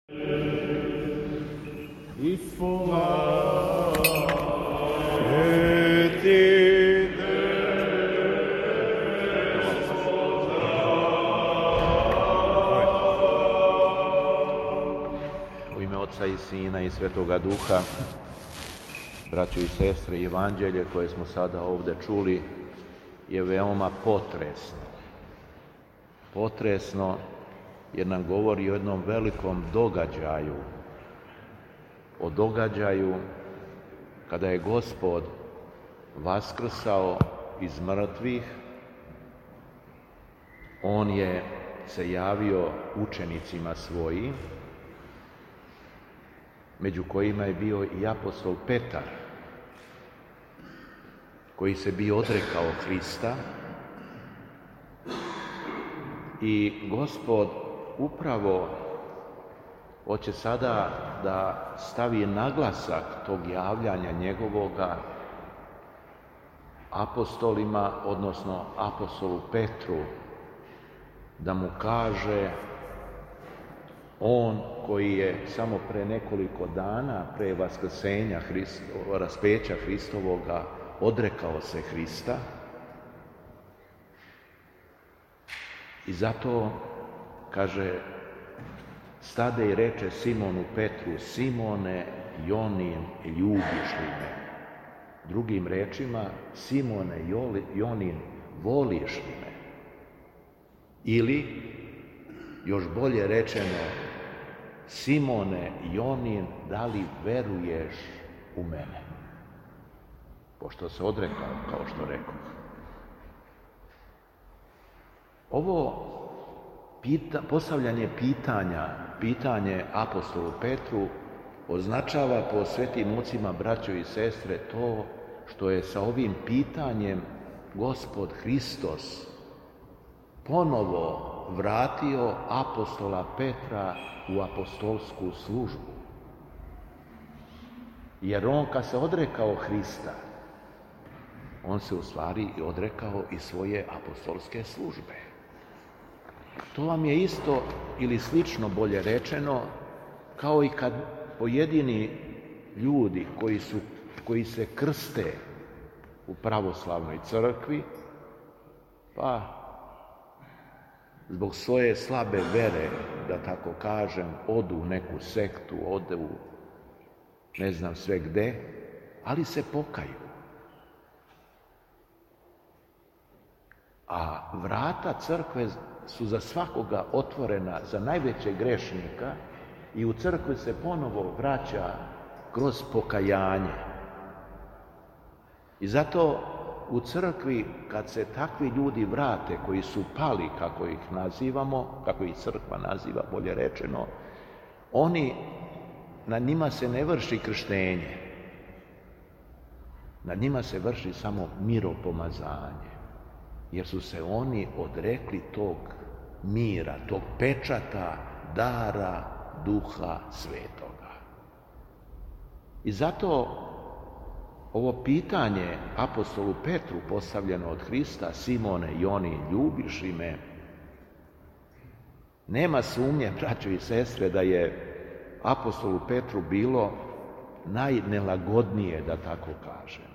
U ime Otca i Sina i Svetoga Duha, braćo i sestre, evanđelje koje smo sada ovdje čuli je veoma potresno. Potresno jer nam govori o jednom velikom događaju, o događaju kada je Gospod vaskrsao iz mrtvih. On je se javio učenicima svojim, među kojima je bio i apostol Petar, koji se bio odrekao Hrista, i Gospod upravo hoće sada da stavi naglasak tog javljanja njegovoga apostolima, odnosno apostolu Petru, da mu kaže, on koji je samo pre nekoliko dana, pre vaskrsenja raspeća Hristovoga, odrekao se Hrista. I zato, kaže, stade i reče Simonu Petru: Simone, Jonin, ljubiš li me? Drugim rečima, Simone, Jonin, voliš li me? Ili, još bolje rečeno, Simone, Jonin, da li veruješ u mene? Pošto se odrekao, kao što rekoh. Ovo postavljanje pitanje apostolu Petru označava po svetim ocima, braćo i sestre, to što je sa ovim pitanjem Gospod Hristos ponovo vratio apostola Petra u apostolsku službu. Jer on, kad se odrekao Hrista, on se u stvari odrekao i svoje apostolske službe. To vam je isto ili slično, bolje rečeno, kao i kad pojedini ljudi koji se krste u pravoslavnoj crkvi, pa zbog svoje slabe vere, da tako kažem, odu u neku sektu, odu ne znam sve gde, ali se pokaju. A vrata crkve su za svakoga otvorena, za najvećeg grešnika, i u crkvi se ponovo vraća kroz pokajanje. I zato u crkvi, kad se takvi ljudi vrate, koji su pali, kako ih nazivamo, kako ih crkva naziva, bolje rečeno, na njima se ne vrši krštenje. Na njima se vrši samo miropomazanje. Jer su se oni odrekli tog mira, tog pečata, dara Duha Svetoga. I zato ovo pitanje apostolu Petru postavljeno od Hrista: Simone, Joni, ljubiš li me? Nema sumnje, braćo i sestre, da je apostolu Petru bilo najnelagodnije, da tako kažem.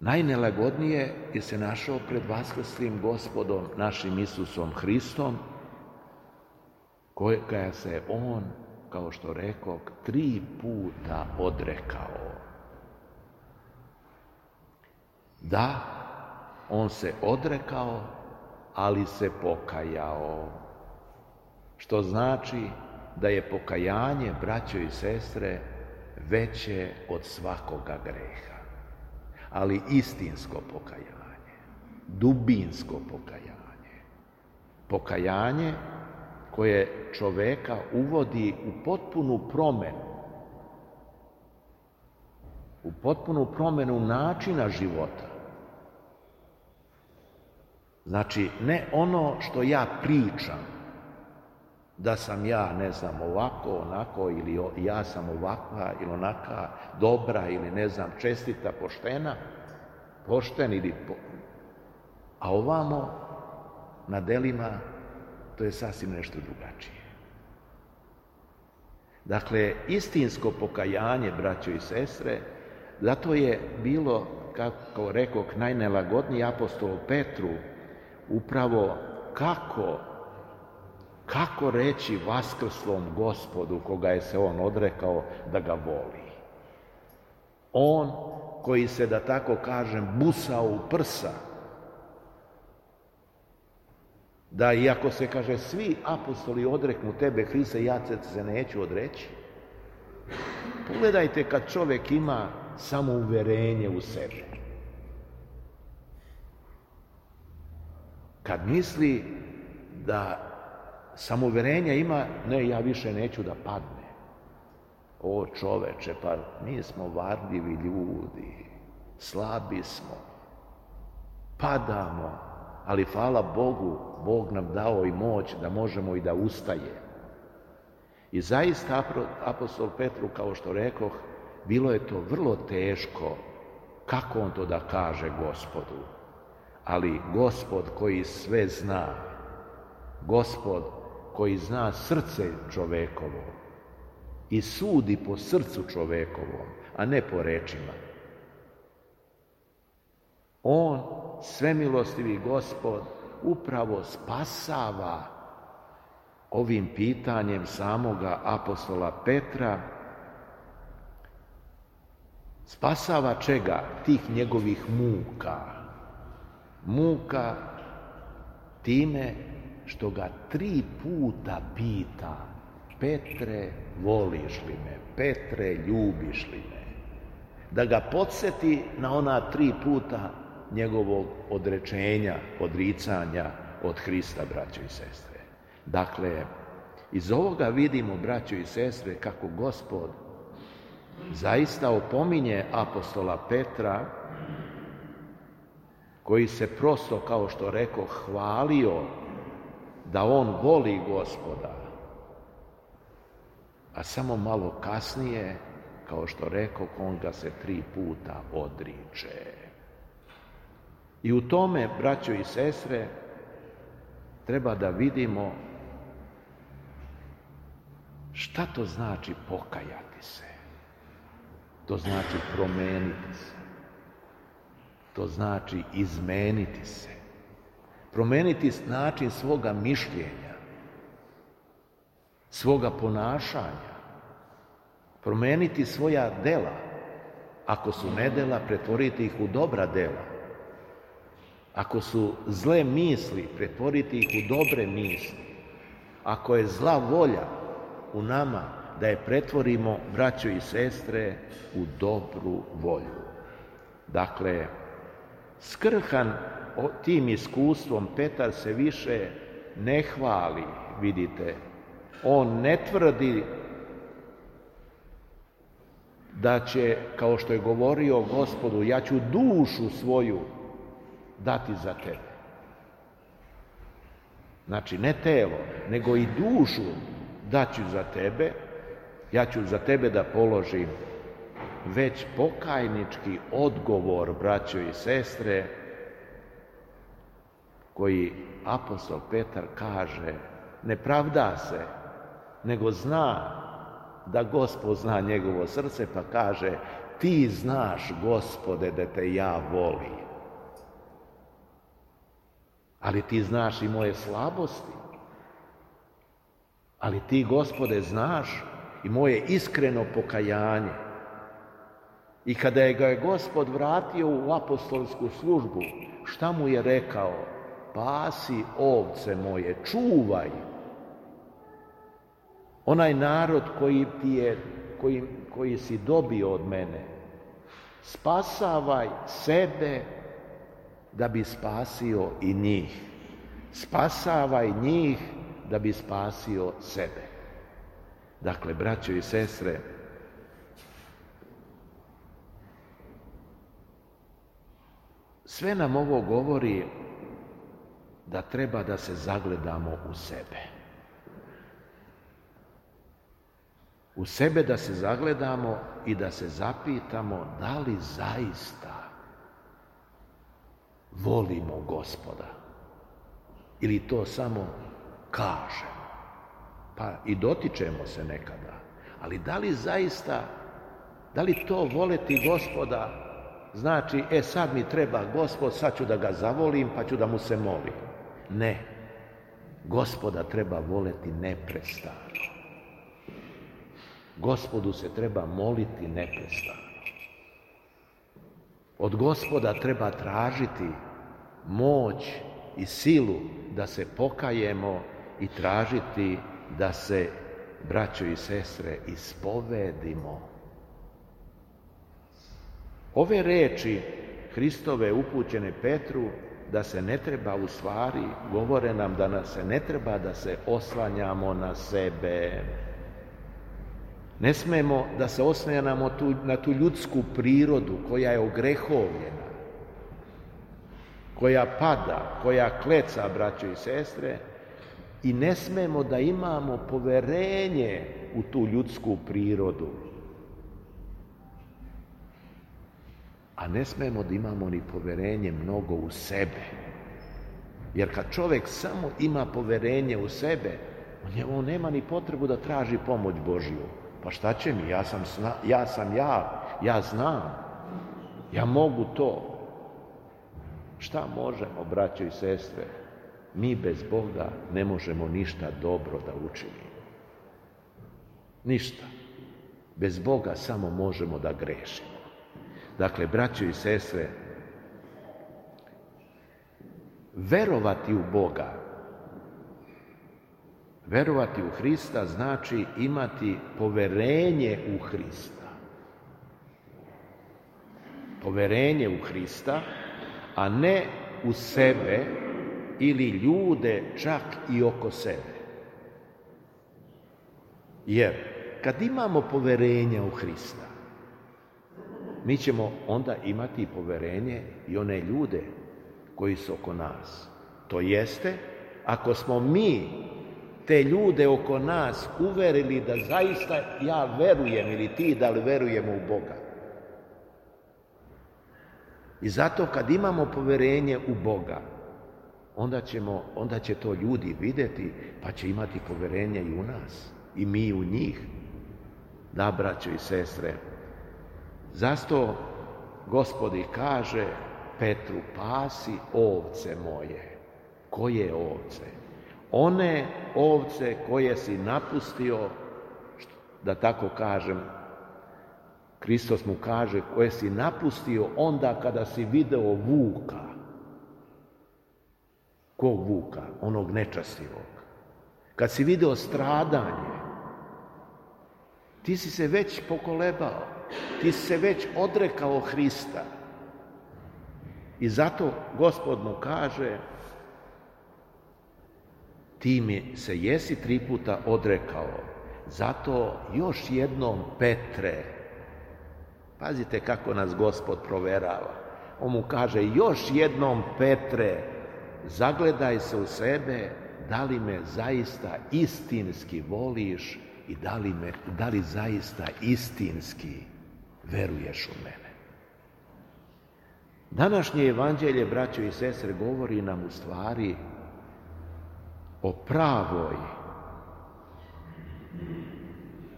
Najnelagodnije je se našao pred vaskrslim Gospodom našim Isusom Hristom, kojega se on, kao što rekoh, 3 puta odrekao. Da, on se odrekao, ali se pokajao. Što znači da je pokajanje, braćo i sestre, veće od svakoga greha. Ali istinsko pokajanje, dubinsko pokajanje. Pokajanje koje čoveka uvodi u potpunu promenu načina života. Znači, ne ono što ja pričam, da sam ja, ne znam, ovako, onako, ili ja sam ovakva ili onaka, dobra ili, ne znam, čestita, pošten ili... A ovamo na delima to je sasvim nešto drugačije. Dakle, istinsko pokajanje, braćo i sestre, zato je bilo, kako rekoh, najnelagodniji apostol Petru, upravo kako reći vaskrslom Gospodu, koga je se on odrekao, da ga voli. On koji se, da tako kažem, busao u prsa, da iako se kaže svi apostoli odreknu tebe, Hriste, ja se neću odreći. Pogledajte kad čovjek ima samouverenje u sebi. Kad misli da samouverenja ima, ne, ja više neću da padne. O čoveče, pa mi smo varljivi ljudi, slabi smo, padamo, ali hvala Bogu, Bog nam dao i moć da možemo i da ustajemo. I zaista apostol Petru, kao što rekoh, bilo je to vrlo teško kako on to da kaže Gospodu. Ali Gospod koji sve zna, Gospod koji zna srce čovekovo i sudi po srcu čovekovom, a ne po rečima. On, svemilostivi Gospod, upravo spasava ovim pitanjem samoga apostola Petra. Spasava čega? Tih njegovih muka. Muka time što ga 3 puta pita: Petre, voliš li me? Petre, ljubiš li me? Da ga podsjeti na ona 3 puta njegovog odrečenja, odricanja od Hrista, braćo i sestre. Dakle, iz ovoga vidimo, braćo i sestre, kako Gospod zaista opominje apostola Petra, koji se prosto, kao što rekao, hvalio da on voli Gospoda, a samo malo kasnije, kao što rekao, on ga se 3 puta odriče. I u tome, braćo i sestre, treba da vidimo šta to znači pokajati se. To znači promeniti se. To znači izmeniti se. Promeniti način svoga mišljenja, svoga ponašanja. Promeniti svoja dela. Ako su nedela, pretvoriti ih u dobra dela. Ako su zle misli, pretvoriti ih u dobre misli. Ako je zla volja u nama, da je pretvorimo, braćo i sestre, u dobru volju. Dakle, skrhan tim iskustvom, Petar se više ne hvali, vidite. On ne tvrdi da će, kao što je govorio Gospodu, ja ću dušu svoju dati za tebe. Znači, ne telo, nego i dušu daću za tebe, ja ću za tebe da položim, već pokajnički odgovor, braćo i sestre, koji apostol Petar kaže, ne pravda se, nego zna da Gospod zna njegovo srce, pa kaže, ti znaš, Gospode, da te ja volim. Ali ti znaš i moje slabosti. Ali ti, Gospode, znaš i moje iskreno pokajanje. I kada ga je Gospod vratio u apostolsku službu, šta mu je rekao? Pasi ovce moje, čuvaj onaj narod koji si dobio od mene. Spasavaj sebe da bi spasio i njih. Spasavaj njih da bi spasio sebe. Dakle, braćo i sestre, sve nam ovo govori da treba da se zagledamo u sebe. U sebe da se zagledamo i da se zapitamo da li zaista volimo Gospoda ili to samo kažemo, pa i dotičemo se nekada, ali da li zaista, da li to voleti Gospoda znači, sad mi treba Gospod, sad ću da ga zavolim, pa ću da mu se molim. Ne, Gospoda treba voleti neprestano. Gospodu se treba moliti neprestano. Od Gospoda treba tražiti moć i silu da se pokajemo i tražiti da se, braćo i sestre, ispovedimo. Ove reči Hristove upućene Petru da se ne treba, u stvari govore nam da nas se ne treba da se oslanjamo na sebe. Ne smemo da se oslanjamo na tu ljudsku prirodu koja je ogrehovljena, koja pada, koja kleca, braćo i sestre, i ne smemo da imamo poverenje u tu ljudsku prirodu. A ne smemo da imamo ni poverenje mnogo u sebe. Jer kad čovjek samo ima poverenje u sebe, on nema ni potrebu da traži pomoć Božju. Pa šta će mi? Ja znam, ja mogu to. Šta možemo, braćo i sestre? Mi bez Boga ne možemo ništa dobro da učinimo. Ništa. Bez Boga samo možemo da grešimo. Dakle, braćo i sestre, verovati u Boga, verovati u Hrista znači imati poverenje u Hrista. Poverenje u Hrista, a ne u sebe ili ljude čak i oko sebe. Jer kad imamo poverenja u Hrista, mi ćemo onda imati poverenje i one ljude koji su oko nas. To jeste, ako smo mi te ljude oko nas uverili da zaista ja verujem ili ti da li verujemo u Boga. I zato kad imamo poverenje u Boga, onda će to ljudi vidjeti, pa će imati poverenje i u nas, i mi u njih. Da, braćo i sestre, zato Gospod kaže Petru, pasi ovce moje. Koje ovce? One ovce koje si napustio, da tako kažem, Hristos mu kaže, koje si napustio onda kada si video vuka. Kog vuka? Onog nečastivog. Kad si video stradanje, ti si se već pokolebao, ti si se već odrekao Hrista. I zato Gospod mu kaže, ti mi se jesi 3 puta odrekao, zato još jednom Petre, pazite kako nas Gospod proverava, on mu kaže, još jednom Petre, zagledaj se u sebe, da li me zaista istinski voliš i da li zaista istinski veruješ u mene. Današnje evanđelje, braćo i sestre, govori nam u stvari o pravoj,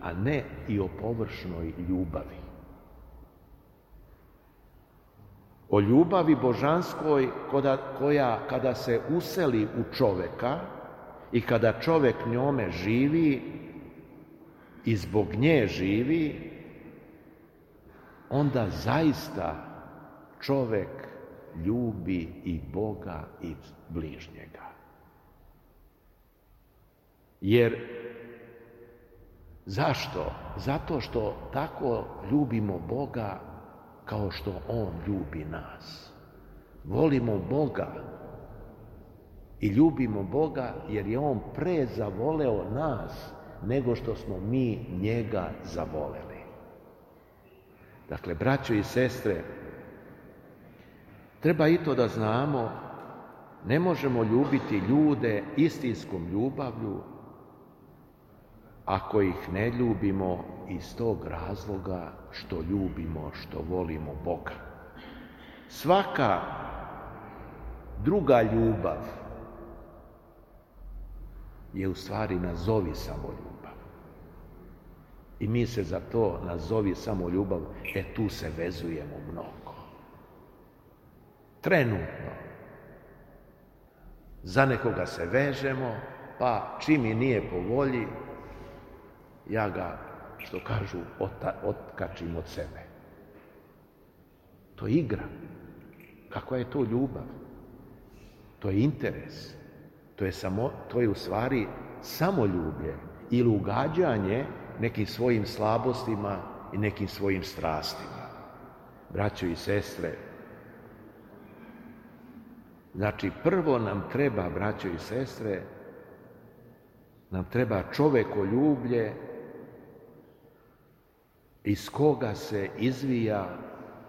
a ne i o površnoj ljubavi. O ljubavi božanskoj koja kada se useli u čoveka i kada čovek njome živi i zbog nje živi, onda zaista čovek ljubi i Boga i bližnjega. Jer zašto? Zato što tako ljubimo Boga kao što On ljubi nas. Volimo Boga i ljubimo Boga jer je On pre zavoleo nas nego što smo mi njega zavoleli. Dakle, braćo i sestre, treba i to da znamo, ne možemo ljubiti ljude istinskom ljubavlju ako ih ne ljubimo iz tog razloga što ljubimo, što volimo Boga. Svaka druga ljubav je u stvari nazovi samoljubav. I mi se za to nazovi samoljubav, tu se vezujemo mnogo. Trenutno. Za nekoga se vežemo, pa čim mi nije po volji, ja ga, što kažu, otkačim od sebe. To je igra. Kakva je to ljubav? To je interes. To je u stvari samoljublje ili ugađanje nekim svojim slabostima i nekim svojim strastima. Braćo i sestre, znači prvo nam treba, braćo i sestre, nam treba čovekoljublje iz koga se izvija,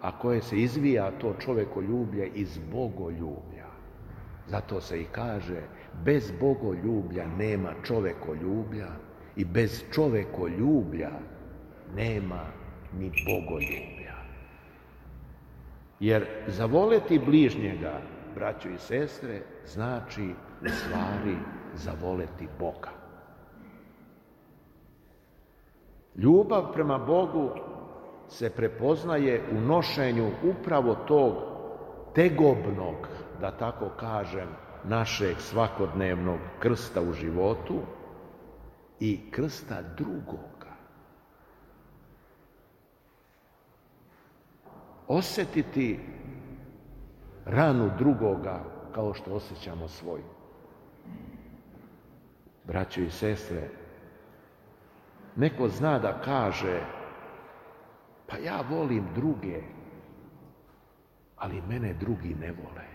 a koje se izvija to čovekoljublje iz bogoljublja. Zato se i kaže, bez bogoljublja nema čovekoljublja i bez čovekoljublja nema ni bogoljublja. Jer zavoleti bližnjega, braćo i sestre, znači u stvari zavoleti Boga. Ljubav prema Bogu se prepoznaje u nošenju upravo tog tegobnog, da tako kažem, našeg svakodnevnog krsta u životu i krsta drugoga. Osjetiti ranu drugoga kao što osjećamo svoju. Braćo i sestre, neko zna da kaže, pa ja volim druge, ali mene drugi ne vole.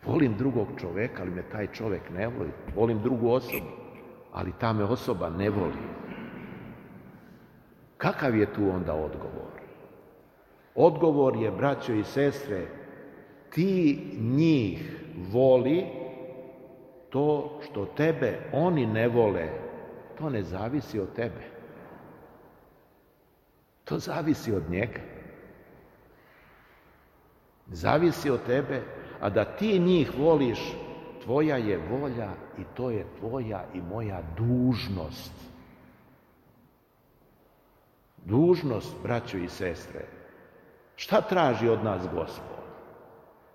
Volim drugog čoveka, ali me taj čovek ne voli. Volim drugu osobu, ali ta me osoba ne voli. Kakav je tu onda odgovor? Odgovor je, braćo i sestre, ti njih voli, to što tebe oni ne vole, to ne zavisi od tebe. To zavisi od njega. Zavisi od tebe, a da ti njih voliš, tvoja je volja i to je tvoja i moja dužnost. Dužnost, braćo i sestre. Šta traži od nas Gospod?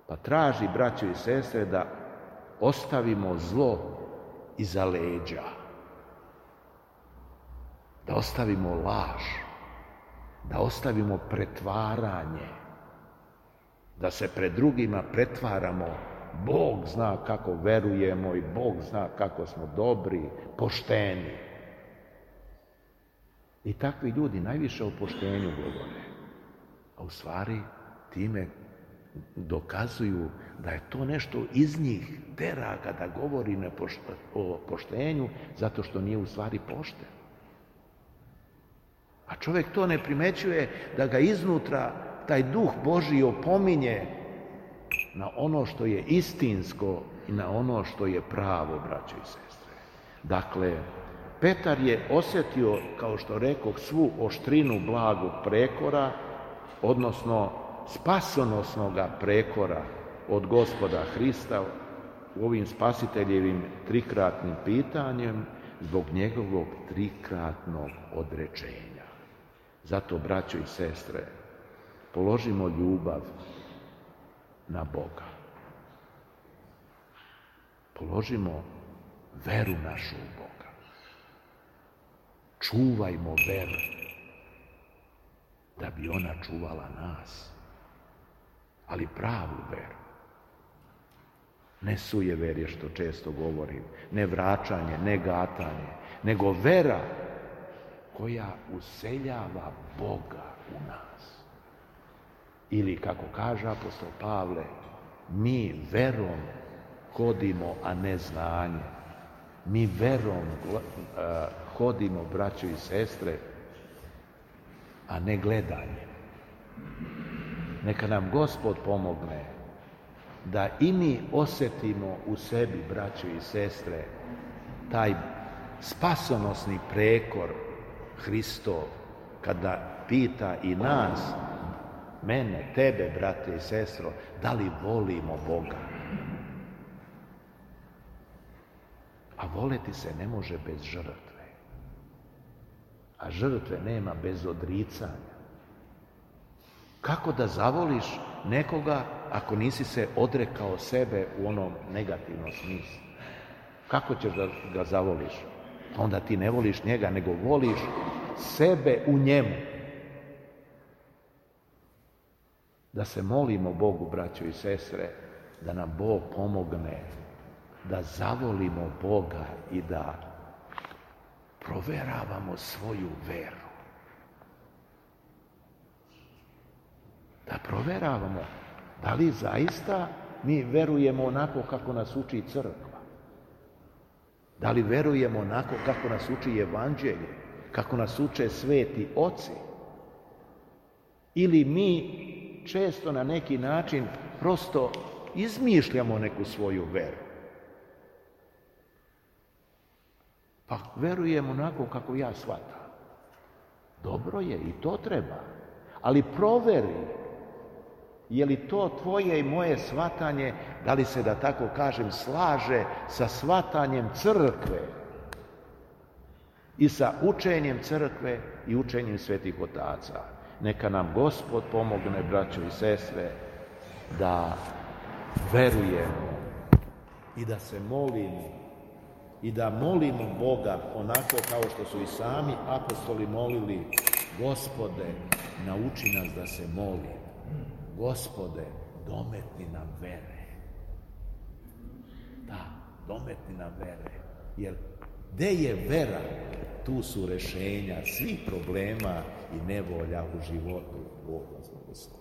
Pa traži, braćo i sestre, da ostavimo zlo iza leđa. Da ostavimo laž. Da ostavimo pretvaranje. Da se pred drugima pretvaramo. Bog zna kako verujemo i Bog zna kako smo dobri, pošteni. I takvi ljudi najviše o poštenju govore. A u stvari time dokazuju da je to nešto iz njih tera kada govori o poštenju, zato što nije u stvari pošten. A čovjek to ne primećuje, da ga iznutra taj duh Božji opominje na ono što je istinsko i na ono što je pravo, braćo i sestre. Dakle, Petar je osjetio, kao što rekoh, svu oštrinu blagog prekora, odnosno spasonosnoga prekora od Gospoda Hrista u ovim spasiteljevim trikratnim pitanjem zbog njegovog trikratnog odrečenja. Zato, braćo i sestre, položimo ljubav na Boga. Položimo veru našu u Boga. Čuvajmo veru, da bi ona čuvala nas. Ali pravu veru. Ne sujeverje, što često govorim, ne vraćanje, ne gatanje, nego vera koja useljava Boga u nas. Ili, kako kaže apostol Pavle, mi verom hodimo, a ne znanje. Mi verom hodimo, braćo i sestre, a ne gledanje. Neka nam Gospod pomogne da i mi osjetimo u sebi, braćo i sestre, taj spasonosni prekor Hristov, kada pita i nas, mene, tebe, brate i sestro, da li volimo Boga? voleti se ne može bez žrtve. A žrtve nema bez odricanja. Kako da zavoliš nekoga ako nisi se odrekao sebe u onom negativnom smislu? Kako ćeš da ga zavoliš? Onda ti ne voliš njega, nego voliš sebe u njemu. Da se molimo Bogu, braćo i sestre, da nam Bog pomogne da zavolimo Boga i da proveravamo svoju veru. Da proveravamo da li zaista mi verujemo onako kako nas uči crkva. Da li verujemo onako kako nas uči evanđelje, kako nas uče sveti oci. Ili mi često na neki način prosto izmišljamo neku svoju veru. Pa verujem onako kako ja shvatam. Dobro je, i to treba. Ali proveri, je li to tvoje i moje shvatanje, da li se, da tako kažem, slaže sa shvatanjem crkve i sa učenjem crkve i učenjem svetih otaca. Neka nam Gospod pomogne, braćo i sestre, da verujemo i da se molimo i da molimo Boga onako kao što su i sami apostoli molili: Gospode, nauči nas da se molimo. Gospode, dometni nam vere. Da, dometni nam vere. Jer gde je vera, tu su rešenja svih problema i nevolja u životu. Bog vas blagoslovi.